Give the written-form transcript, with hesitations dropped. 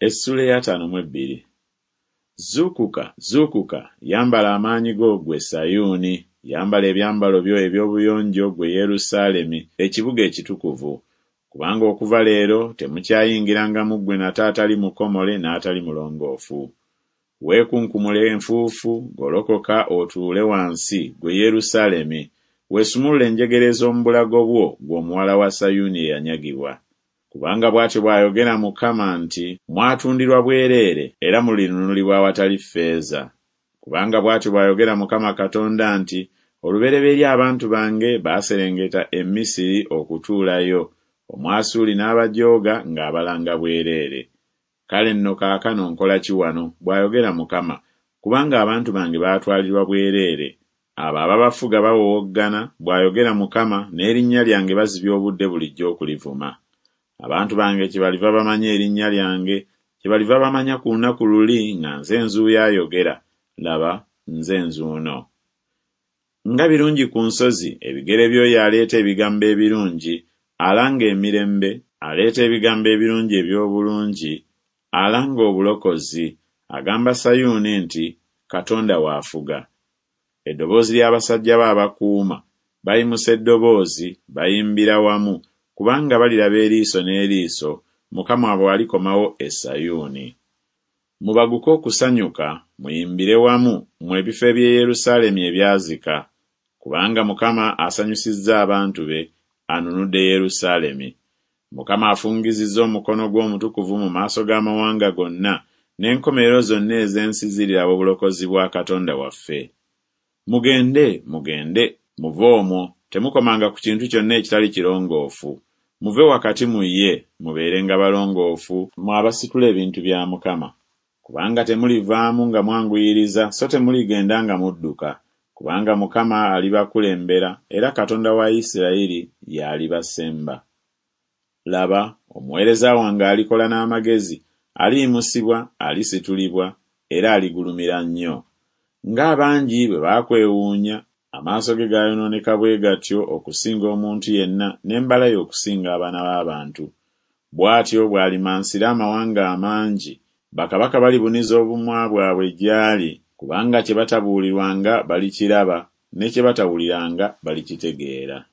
Essuula ey'ataano mu ebbiri. Zuukuka, zuukuka, yambala amaanyi go ggwe Sayuuni, yambala ebyambalo byo eby'obuyonjo ggwe Yerusaalemi, ekibuga ekitukuvu. Kubanga okuva leero temukyayingiranga mu ggwe nate atali mukomole n'atali mulongoofu. Weekunkumule enfuufu, golokoka otuule wansi, ggwe Yerusaalemi, weesumulule enjegere ez'omu bulago bwo, ggwe omuwala wa Sayuuni eyanyagibwa. Kubanga bw'atyo bw'ayogera Mukama nti Mwatundirwa bwereere, era mulinunulibwa awatali ffeeza. Kubanga bw'atyo bw'ayogera Mukama Katonda nti Olubereberye abantu bange baaserengeta e Misiri okutuulayo, Omwasuuli n'abajooga ng'abalanga bwereere. Kale nno kaakano nkola ki wano, bw'ayogera Mukama, kubanga abantu bange baatwalirwa bwereere, abo ababafuga bawowoggana, bw'ayogera Mukama, n'erinnya lyange bazibya obudde bulijjo okulivuma. Abantu bange kyebaliva bamanya erinnya lyange, kyebaliva bamanya ku lunaku luli nga nze nzuuyo ayogera, laba, nze nzuuno. Nga birungi ku nsozi ebigere by'oyo aleeta ebigambo ebirungi, alanga emirembe, aleeta ebigambo ebirungi eby'obulungi, alanga obulokozi, agamba Sayuuni nti Katonda wo afuga. Eddoboozi ly'abasajja be abakuuma, bayimusa eddoboozi, bayimbira wamu, kubanga baliraba eriiso n'eriiso, Mukama bw'alikomawo e Sayuuni. Mubaguke okusanyuka, muyimbire wamu, mmwe ebifo eby'e Yerusaalemi ebyazika, kubanga Mukama asanyusizza abantu be, anunudde Yerusaalemi. Mukama afungizizza omukono gwe omutukuvu mu maaso g'amawanga gonna, n'enkomerero zonna ez'ensi ziriraba obulokozi bwa Katonda waffe. Mugende, mugende, muve omwo, temukomanga ku kintu kyonna ekitali kirongoofu. Muve wakati mu ye, mubeerenga balongoofu, mmwe abasitula ebintu bya Mukama. Kubanga temulivaamu nga mwanguyiriza so temuligenda nga mudduka, kubanga Mukama alibakulembera, era Katonda wa Isirayiri y'alibasemba. Laba, omuweereza wange alikola n'amagezi, aliyimusibwa, alisitulibwa, era aligulumira nnyo. Ng'abangi bwe baakwewuunya, amaaso ge gaayonooneka bwe gatyo okusinga omuntu yenna, n'embala ye okusinga abaana b'abantu. Bw'atyo bw'alimansira amawanga amangi, bakabaka balibuniza obumwa bwabwe gy'ali, kubanga kye batabuulirwanga balikiraba, ne kye batawuliranga balikitegeera.